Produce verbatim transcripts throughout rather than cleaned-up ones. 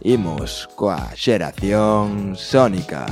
Imos coa xeración sónica.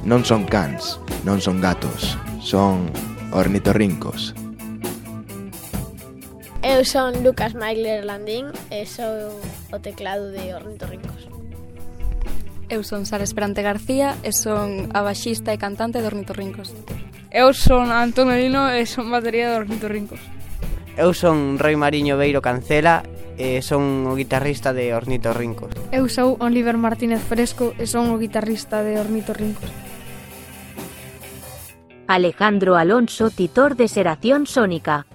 Non son cans, non son gatos, son ornitorrincos. Eu son Lucas Maigler Landín e sou o teclado de Ornitorrincos. Eu son Sara Esperante García e son a baixista e cantante de Ornitorrincos. Eu son Antonio Lino e son batería de Ornitorrincos. Eu son Roi Mariño Beiro Cancela e son o guitarrista de Ornitorrincos. Eu sou Oliver Martínez Fresco e son o guitarrista de Ornitorrincos. Alejandro Alonso, titor de Xeración Sónica.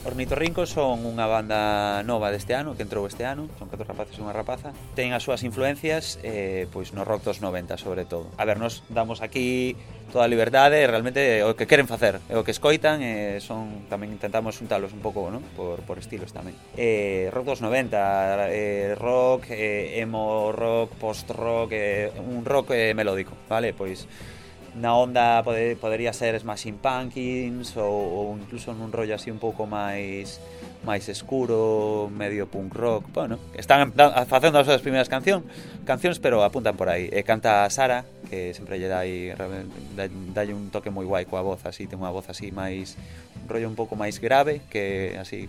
Ornitorrincos son unha banda nova deste ano, que entrou este ano, son catro rapaces e unha rapaza. Ten as súas influencias eh, pois no rock dos noventa, sobre todo. A ver, nos damos aquí toda a liberdade, realmente o que queren facer, o que escoitan, eh, son tamén intentamos xuntalos un pouco, ¿no? por, por estilos tamén. Eh, rock dos noventa, eh, rock, eh, emo rock, post-rock, eh, un rock eh, melódico, vale? Pois na onda pode, podería ser Smashing Pumpkins ou, ou incluso nun rollo así un pouco máis máis escuro, medio punk rock. Bueno, están facendo as súas primeiras canción, cancións, pero apuntan por aí. E canta a Sara, que sempre lle dá aí dalle un toque moi guai coa voz, así, ten unha voz así máis un rollo un pouco máis grave, que así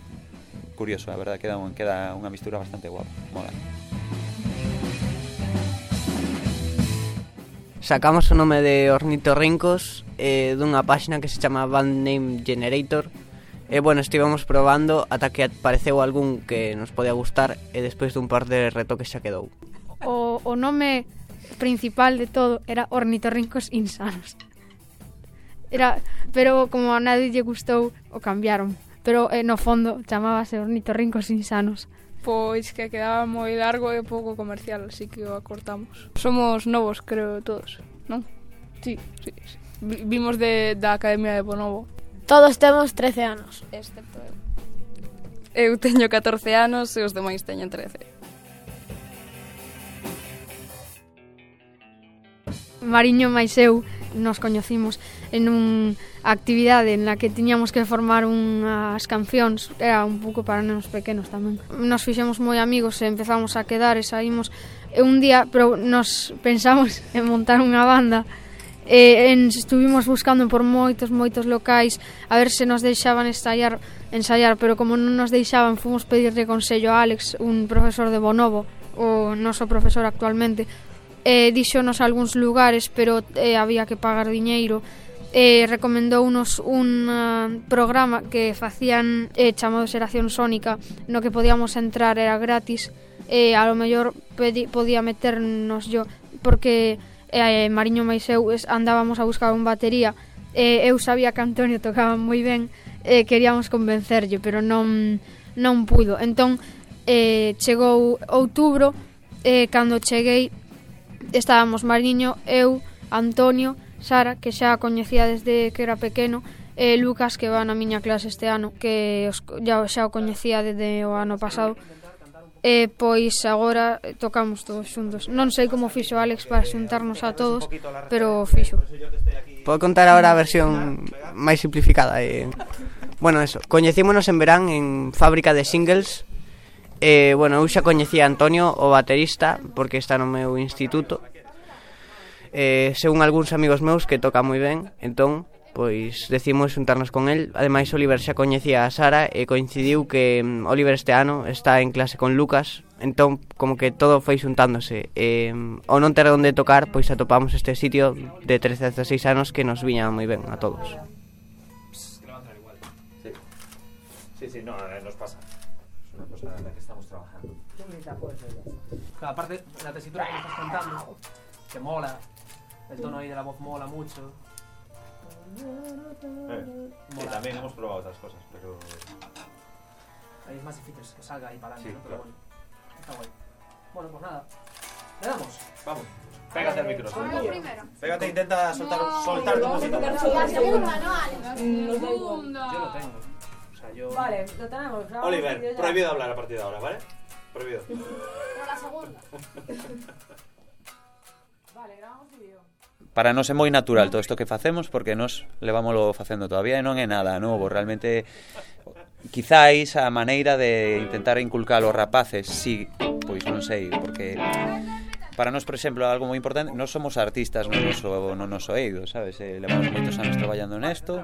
curioso, a verdade, queda, queda unha mistura bastante guapa, mola. Sacamos o nome de Ornitorrincos eh, dunha páxina que se chama Band Name Generator. E, bueno, estivemos probando ata que apareceu algún que nos podía gustar e despois dun par de retoques xa quedou. O, o nome principal de todo era Ornitorrincos Insanos. Era, pero como a nadie lle gustou, o cambiaron. Pero eh, no fondo chamábase Ornitorrincos Insanos. Pois que quedaba moi largo e pouco comercial, así que o acortamos. Somos novos, creo, todos, non? Sí, sí, sí. Vimos de, da Academia de Bonobo. Todos temos trece anos, excepto eu. Eu teño catorce anos e os demais teñen trece. Mariño máis eu nos coñecimos en unha actividade en la que tiñamos que formar unhas cancións, era un pouco para nenos pequenos tamén. Nos fixemos moi amigos e empezamos a quedar e saímos e un día, pero nos pensamos en montar unha banda e en, estuvimos buscando por moitos, moitos locais a ver se nos deixaban ensaiar, ensaiar, pero como non nos deixaban, fomos pedirle consello a Alex, un profesor de Bonobo, o noso profesor actualmente. Eh, díxonos algúns lugares, pero eh, había que pagar diñeiro. Eh, recomendounos un uh, programa que facían eh, chamado Xeración Sónica, no que podíamos entrar, era gratis. Eh, a lo mellor pedi, podía meternos yo, porque eh, Mariño máis eu andábamos a buscar un batería. Eh, eu sabía que Antonio tocaba moi ben, eh, queríamos convencerlle, pero non, non pudo. Entón, eh, chegou outubro, eh, cando cheguei, estábamos Mariño, eu, Antonio, Sara, que xa a coñecía desde que era pequeno, e Lucas, que va na miña clase este ano, que os, ya, xa o coñecía desde o ano pasado. E pois agora tocamos todos xuntos. Non sei como fixo Alex para xuntarnos a todos, pero fixo. Podo contar agora a versión máis simplificada. Eh. Bueno, eso, coñecímonos en verán en fábrica de singles. E, bueno, eu xa coñecía a Antonio, o baterista, porque está no meu instituto. Eh, según algúns amigos meus que toca moi ben, entón, pois, decimos xuntarnos con el. Ademais, Oliver xa coñecía a Sara e coincidiu que um, Oliver este ano está en clase con Lucas, entón como que todo foi xuntándose. E ao non ter onde tocar, pois atopamos este sitio de trece a dezasseis anos que nos viña moi ben a todos. Sí, sí, sí, no, nos pasa. Es una cosa en la que estamos trabajando. Claro, aparte, la tesitura que me estás contando, que mola, el tono ahí de la voz mola mucho. Eh, Mola. sí, también hemos probado otras cosas, pero... Ahí es más difícil que salga ahí para adelante, Sí, ¿no? Pero claro. bueno, está guay. Bueno, pues nada, ¿le damos? Vamos, pégate al micro. Soy yo. Pégate e intenta soltar, soltar tu música. La segunda, ¿no, Alex? Nos da igual. Yo lo tengo. O sea, yo... Vale, lo tenemos. Oliver, prohibido hablar a partir de ahora, ¿vale? Prohibido. Pero la segunda. Vale, grabamos vídeo. Para nós é moi natural todo isto que facemos porque nós levámoslo facendo todavía e non é nada novo, realmente quizáis a maneira de intentar inculcar aos rapaces, si, pois non sei, porque para nós, por exemplo, algo moi importante, nós somos artistas no noso, no noso eido, sabes? Eh, levamos moitos anos traballando nesto,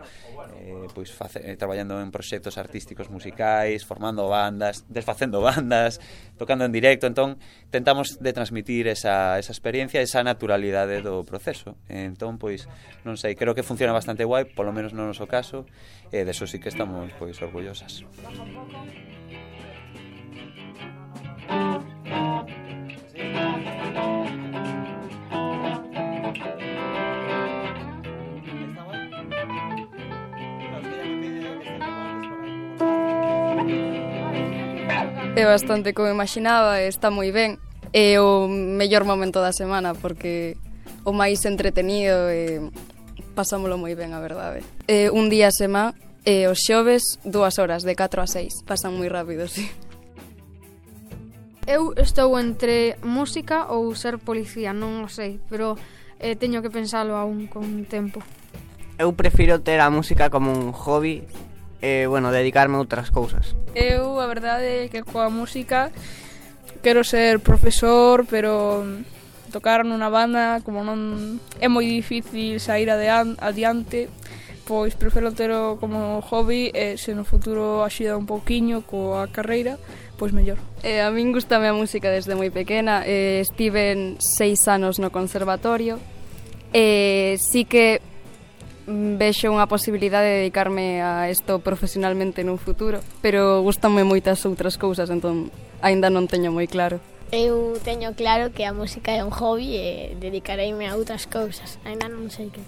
eh, pois face, eh, traballando en proxectos artísticos musicais, formando bandas, desfacendo bandas, tocando en directo, entón tentamos de transmitir esa, esa experiencia, esa naturalidade do proceso. Entón, pois, non sei, creo que funciona bastante guai, polo menos no noso caso, e eh, deso sí que estamos, pois, orgullosas. É bastante como imaginaba, está moi ben. É o mellor momento da semana porque o máis entretenido e pasámolo moi ben, a verdade. É un día a semana e os xoves dúas horas, de catro a seis. Pasan moi rápido, sí. Eu estou entre música ou ser policía, non o sei, pero eh, teño que pensalo aún con tempo. Eu prefiro ter a música como un hobby e, bueno, dedicarme a outras cousas. Eu, a verdade, é que coa música quero ser profesor, pero tocar nunha banda, como non é moi difícil sair adiante, pois prefiro tero como hobby e se no futuro axuda un pouquiño coa carreira, pois mellor. Eh, a min gustame a música desde moi pequena, eh, estive seis anos no conservatorio e sí que vexo unha posibilidade de dedicarme a isto profesionalmente nun futuro, pero gustanme moitas outras cousas, entón aínda non teño moi claro. Eu teño claro que a música é un hobby e dedicareime a outras cousas, aínda non sei que.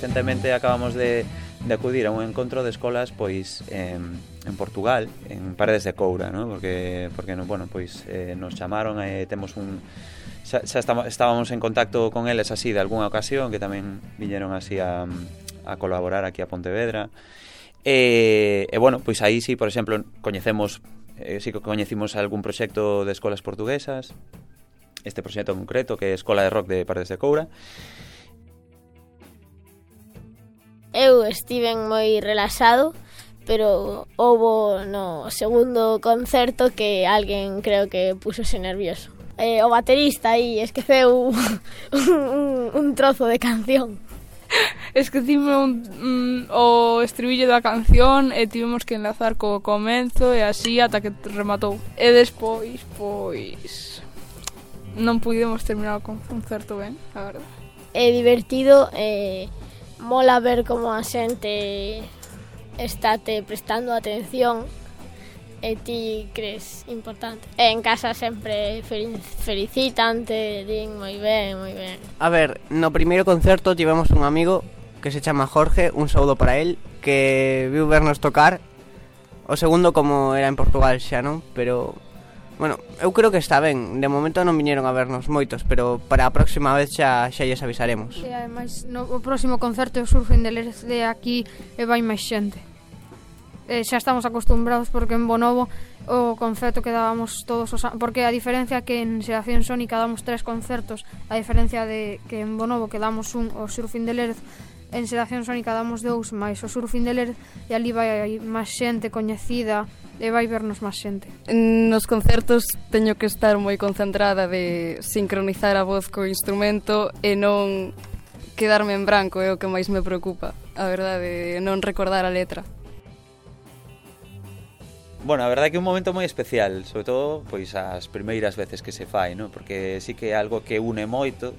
Recentemente acabamos de, de acudir a un encontro de escolas pois en, en Portugal, en Paredes de Coura, ¿no? Porque porque no, bueno, pois eh, nos chamaron e eh, temos un xa, xa estamos, estábamos en contacto con eles así de algunha ocasión que tamén viñeron así a, a colaborar aquí a Pontevedra. E, e bueno, pois aí sí, por exemplo, coñecemos eh, sí que coñecimos algún proxecto de escolas portuguesas. Este proxecto en concreto que é a Escola de Rock de Paredes de Coura. Eu estiven moi relaxado, pero houbo no segundo concerto que alguén creo que púxose nervioso. Eh, o baterista aí esqueceu un, un, un trozo de canción. Esquecime un, un, o estribillo da canción e tivemos que enlazar co comenzo e así ata que rematou. E despois, pois, non pudemos terminar o concerto ben, a verdade. É divertido e... Eh, mola ver como a xente estate prestando atención e ti crees importante. E en casa sempre felicitan, te din moi ben, moi ben. A ver, no primeiro concerto tivemos un amigo que se chama Jorge, un saúdo para él, que viu vernos tocar. O segundo como era en Portugal xa, non? Pero... Bueno, eu creo que está ben. De momento non viñeron a vernos moitos, pero para a próxima vez xa xa lles avisaremos. E ademais, no o próximo concerto o Surfing de Lérez de aquí e vai máis xente. E xa estamos acostumbrados porque en Bonovo o concerto que dábamos todos os anos, porque a diferencia que en Xeración Sónica damos tres concertos, a diferencia de que en Bonovo que damos un, o Surfing de Lérez en Xeración Sónica damos dous, máis o Surfing de Ler, e ali vai máis xente coñecida, e vai vernos máis xente. Nos concertos teño que estar moi concentrada de sincronizar a voz co instrumento e non quedarme en branco, é o que máis me preocupa, a verdade, non recordar a letra. Bueno, a verdade é que é un momento moi especial, sobre todo pois as primeiras veces que se fai, ¿no? Porque sí que é algo que une moito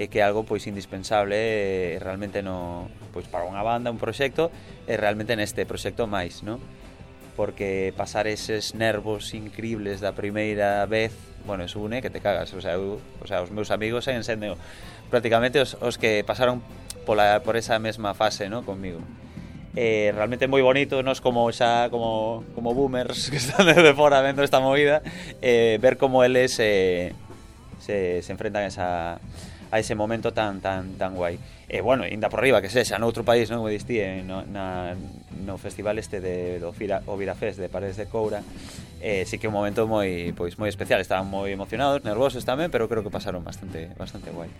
e que é algo pois indispensable e realmente no, pois para unha banda, un proxecto, e realmente neste proxecto máis, ¿no? Porque pasar eses nervos increíbles da primeira vez, bueno, eso une que te cagas, o sea, eu, o sea, os meus amigos seguen sendo prácticamente os, os que pasaron pola, por esa mesma fase, ¿no? Conmigo. Eh, realmente é moi bonito, nos como xa como, como boomers que están desde fora vendo esta movida, eh, ver como eles eh, se, se enfrentan a, esa, a ese momento tan tan tan guai. E eh, bueno, ainda por riba que sexa noutro país, non, como distí, no, na, no festival este de do Fira, o Virafest de Paredes de Coura, eh, sí que é un momento moi pois moi especial, estaban moi emocionados, nervosos tamén, pero creo que pasaron bastante bastante guai.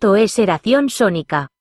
Isto é Xeración Sónica.